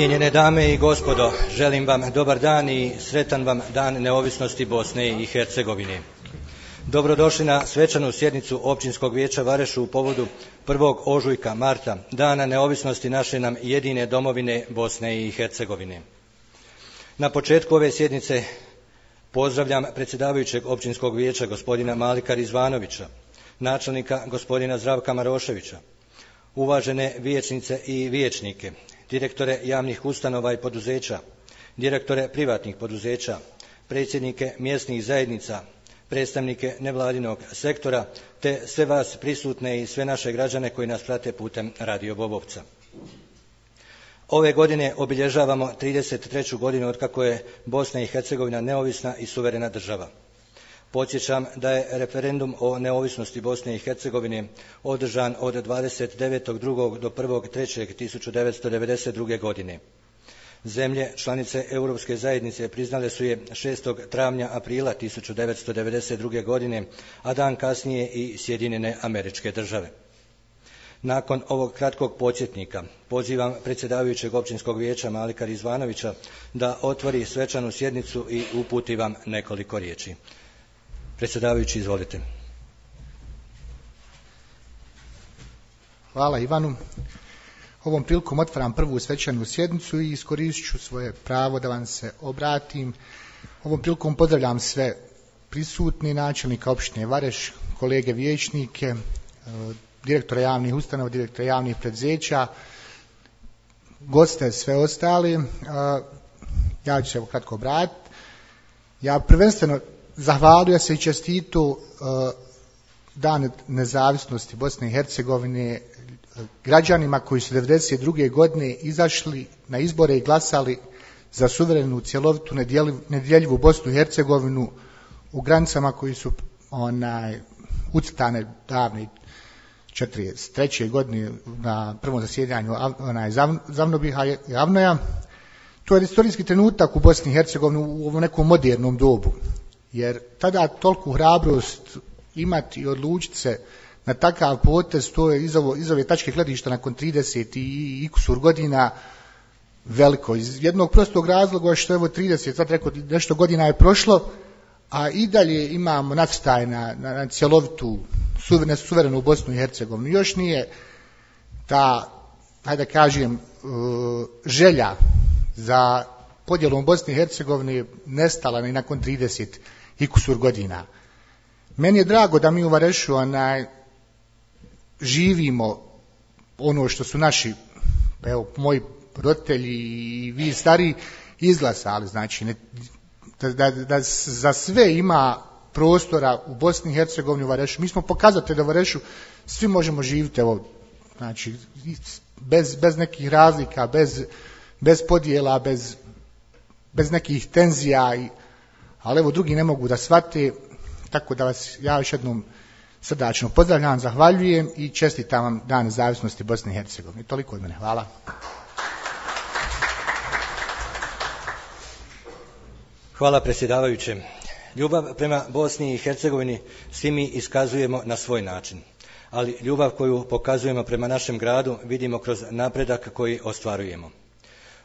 Cijenjene dame i gospodo, želim vam dobar dan i sretan vam dan neovisnosti Bosne i Hercegovine. Dobrodošli na svečanu sjednicu Općinskog vijeća Varešu u povodu 1. ožujka Marta, dana neovisnosti naše nam jedine domovine Bosne i Hercegovine. Na početku ove sjednice pozdravljam predsjedavajućeg Općinskog vijeća gospodina Malika Rizvanovića, načelnika gospodina Zdravka Maroševića, uvažene vijećnice i vijećnike, direktore javnih ustanova i poduzeća, direktore privatnih poduzeća, predsjednike mjesnih zajednica, predstavnike nevladinog sektora, te sve vas prisutne i sve naše građane koji nas prate putem Radio Bobovca. Ove godine obilježavamo 33. godinu otkako je Bosna i Hercegovina neovisna i suverena država. Podsjećam da je referendum o neovisnosti Bosne i Hercegovine održan od 29.2. do 1.3.1992. godine. Zemlje članice Europske zajednice priznale su je 6. travnja aprila 1992. godine, a dan kasnije i Sjedinjene Američke Države. Nakon ovog kratkog podsjetnika pozivam predsjedavajućeg Općinskog vijeća Malika Rizvanovića da otvori svečanu sjednicu i uputi vam nekoliko riječi. Predsjedavajući, izvolite. Hvala Ivanu. Ovom prilikom otvaram prvu svečanu sjednicu i iskoristit ću svoje pravo da vam se obratim. Ovom prilikom pozdravljam sve prisutni, načelnika općine Vareš, kolege vijećnike, direktora javnih ustanova, direktora javnih preduzeća, goste, sve ostali. Ja ću se kratko obratiti. Ja prvenstveno zahvalio se i čestitu Dan nezavisnosti Bosne i Hercegovine građanima koji su 1992. godine izašli na izbore i glasali za suverenu, cjelovitu, nedjeljivu Bosnu i Hercegovinu u granicama koji su ucrtane davne 1943. godine na prvom zasjedanju Zavnobiha i Avnoja. To je istorijski trenutak u Bosni i Hercegovini u nekom modernom dobu, jer tada toliku hrabrost imati i odlučiti se na takav potez, to je iz ove tačke gledišta nakon 30 i kusur godina veliko. Iz jednog prostog razloga što evo 30, sad rekao nešto godina je prošlo, a i dalje imamo nacrtaj na cjelovitu suverenu Bosnu i Hercegovinu. Još nije ta, hajde da kažem, želja za podjelom Bosne i Hercegovine nestala ni nakon 30 i kusur godina. Meni je drago da mi u Varešu živimo ono što su naši, evo, moji roditelji i vi stari izglasali, znači da za sve ima prostora u Bosni i Hercegovini, u Varešu. Mi smo pokazatelji da u Varešu svi možemo živjeti, evo, znači bez nekih razlika, bez podjela, bez nekih tenzija, ali evo drugi ne mogu da shvate, tako da vas ja još jednom srdačno pozdravljam, zahvaljujem i čestitam vam Dan nezavisnosti Bosne i Hercegovine. Toliko od mene. Hvala. Hvala predsjedavajućem. Ljubav prema Bosni i Hercegovini svi mi iskazujemo na svoj način, ali ljubav koju pokazujemo prema našem gradu vidimo kroz napredak koji ostvarujemo.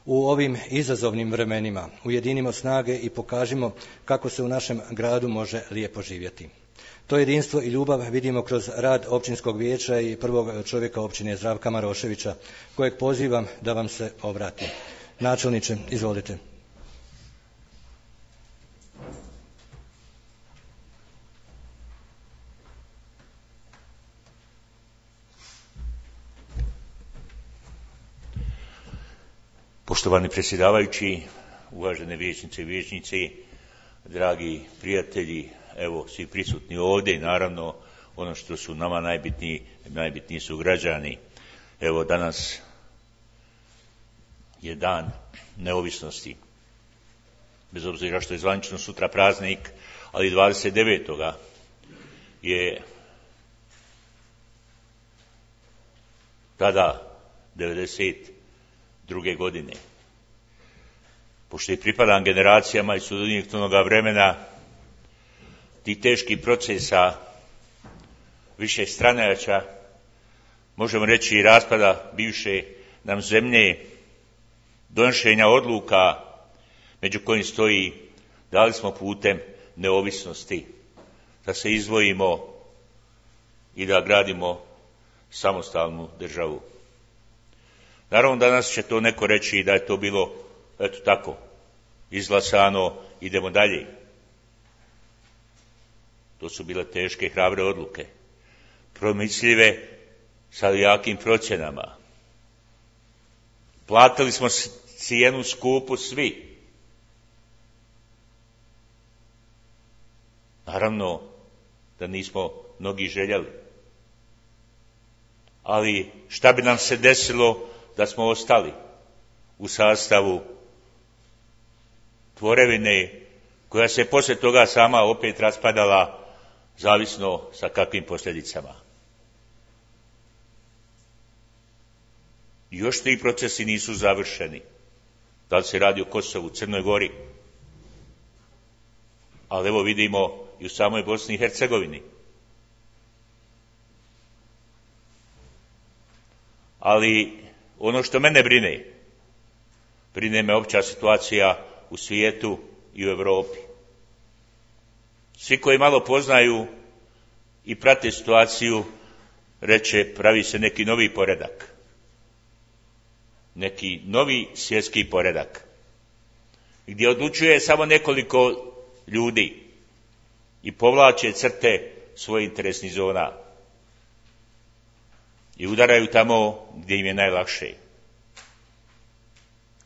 U ovim izazovnim vremenima ujedinimo snage i pokažimo kako se u našem gradu može lijepo živjeti. To jedinstvo i ljubav vidimo kroz rad Općinskog vijeća i prvog čovjeka općine Zdravka Maroševića, kojeg pozivam da vam se obrati. Načelniče, izvolite. Poštovani predsjedavajući, uvažene vijećnice i vijećnici, dragi prijatelji, evo svi prisutni ovdje i naravno ono što su nama najbitniji su građani. Evo danas je dan neovisnosti, bez obzira što je zvanično sutra praznik, ali 29. je tada 1992. godine. Pošto i pripadam generacijama i sudionik onoga vremena, ti teški procesa više stranača, možemo reći i raspada bivše nam zemlje, donošenja odluka među kojim stoji da li smo putem neovisnosti da se izdvojimo i da gradimo samostalnu državu. Naravno, danas će to neko reći da je to bilo, eto tako, izglasano, idemo dalje. To su bile teške i hrabre odluke, promisljive sa jakim procjenama. Platili smo cijenu skupu svi. Naravno da nismo mnogi željeli. Ali šta bi nam se desilo da smo ostali u sastavu tvorevine koja se poslije toga sama opet raspadala, zavisno sa kakvim posljedicama. Još ti procesi nisu završeni. Da li se radi o Kosovu, Crnoj Gori? Ali evo vidimo i u samoj Bosni i Hercegovini. Ali ono što mene brine me opća situacija u svijetu i u Europi. Svi koji malo poznaju i prate situaciju, reče pravi se neki novi poredak. Neki novi svjetski poredak. Gdje odlučuje samo nekoliko ljudi i povlače crte svojih interesnih zona. I udaraju tamo gdje im je najlakše.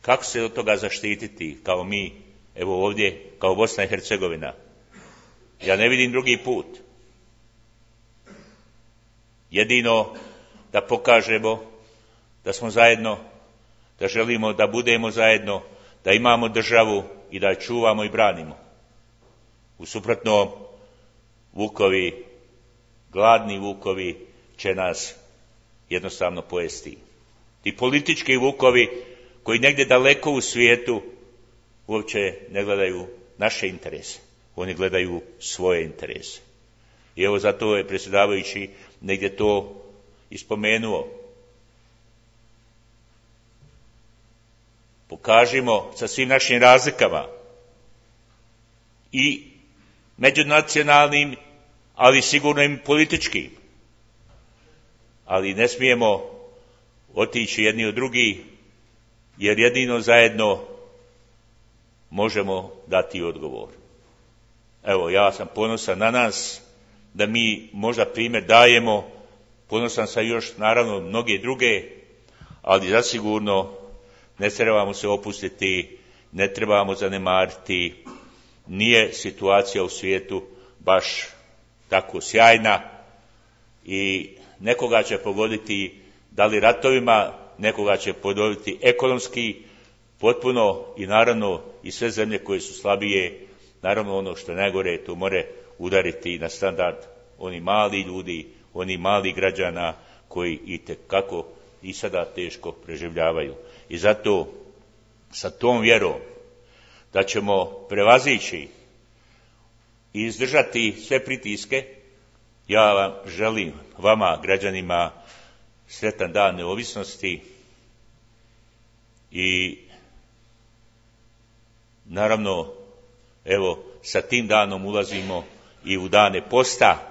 Kako se od toga zaštititi kao mi, evo ovdje, kao Bosna i Hercegovina? Ja ne vidim drugi put. Jedino da pokažemo da smo zajedno, da želimo da budemo zajedno, da imamo državu i da je čuvamo i branimo. U suprotnom, vukovi, gladni vukovi će nas jednostavno pojesti. Ti politički vukovi koji negdje daleko u svijetu uopće ne gledaju naše interese. Oni gledaju svoje interese. I evo zato je predsjedavajući negdje to ispomenuo. Pokažimo sa svim našim razlikama i međunacionalnim, ali sigurno i političkim. Ali ne smijemo otići jedni od drugih, jer jedino zajedno možemo dati odgovor. Evo, ja sam ponosan na nas, da mi možda primjer dajemo, ponosan sam još naravno mnoge druge, ali zasigurno ne trebamo se opustiti, ne trebamo zanemariti, nije situacija u svijetu baš tako sjajna i nekoga će pogoditi da li ratovima, nekoga će pogoditi ekonomski, potpuno i naravno i sve zemlje koje su slabije, naravno ono što je najgore, to more udariti na standard oni mali ljudi, oni mali građana koji itekako i sada teško preživljavaju. I zato sa tom vjerom da ćemo prevazići i izdržati sve pritiske, ja vam želim, vama građanima, sretan dan neovisnosti i naravno evo sa tim danom ulazimo i u dane posta,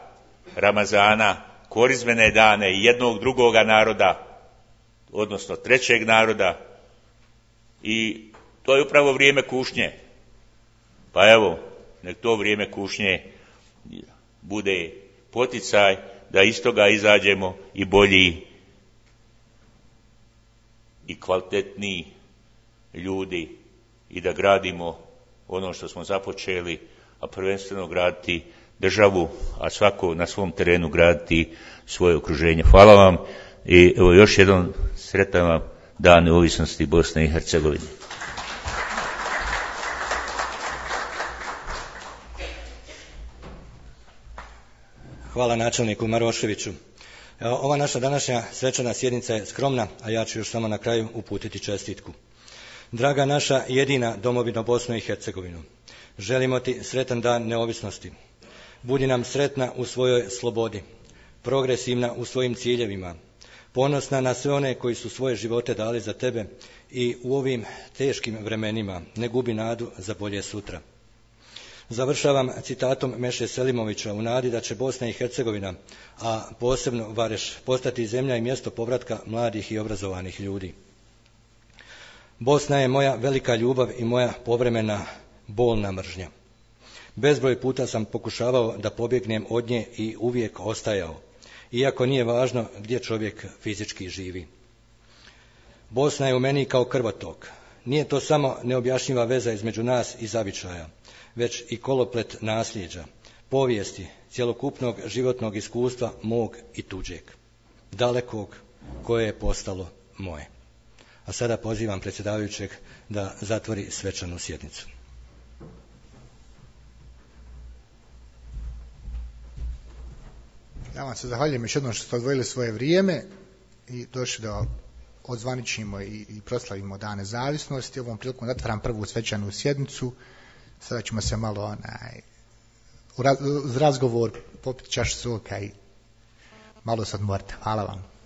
Ramazana, korizmene dane jednog drugoga naroda, odnosno trećeg naroda, i to je upravo vrijeme kušnje. Pa evo, nek to vrijeme kušnje bude poticaj da iz toga izađemo i bolji i kvalitetniji ljudi i da gradimo ono što smo započeli, a prvenstveno graditi državu, a svako na svom terenu graditi svoje okruženje. Hvala vam i evo još jedan sretan vam dan neovisnosti Bosne i Hercegovine. Hvala načelniku Maroševiću. Ova naša današnja svečana sjednica je skromna, a ja ću još samo na kraju uputiti čestitku. Draga naša jedina domovino Bosno i Hercegovinu, želimo ti sretan dan neovisnosti. Budi nam sretna u svojoj slobodi, progresivna u svojim ciljevima, ponosna na sve one koji su svoje živote dali za tebe i u ovim teškim vremenima ne gubi nadu za bolje sutra. Završavam citatom Meše Selimovića u nadi da će Bosna i Hercegovina, a posebno Vareš, postati zemlja i mjesto povratka mladih i obrazovanih ljudi. Bosna je moja velika ljubav i moja povremena bolna mržnja. Bezbroj puta sam pokušavao da pobjegnem od nje i uvijek ostajao, iako nije važno gdje čovjek fizički živi. Bosna je u meni kao krvotok. Nije to samo neobjašnjiva veza između nas i zavičaja, već i koloplet nasljeđa, povijesti, cjelokupnog životnog iskustva mog i tuđeg, dalekog koje je postalo moje. A sada pozivam predsjedavajućeg da zatvori svečanu sjednicu. Ja vam se zahvaljujem još jednom što ste odvojili svoje vrijeme i došli da odzvaničimo i proslavimo Dan nezavisnosti. Ovom prilikom zatvaram prvu svečanu sjednicu. Sada ćemo se malo uz razgovor popiti čašu soka i malo se odmoriti. Hvala vam.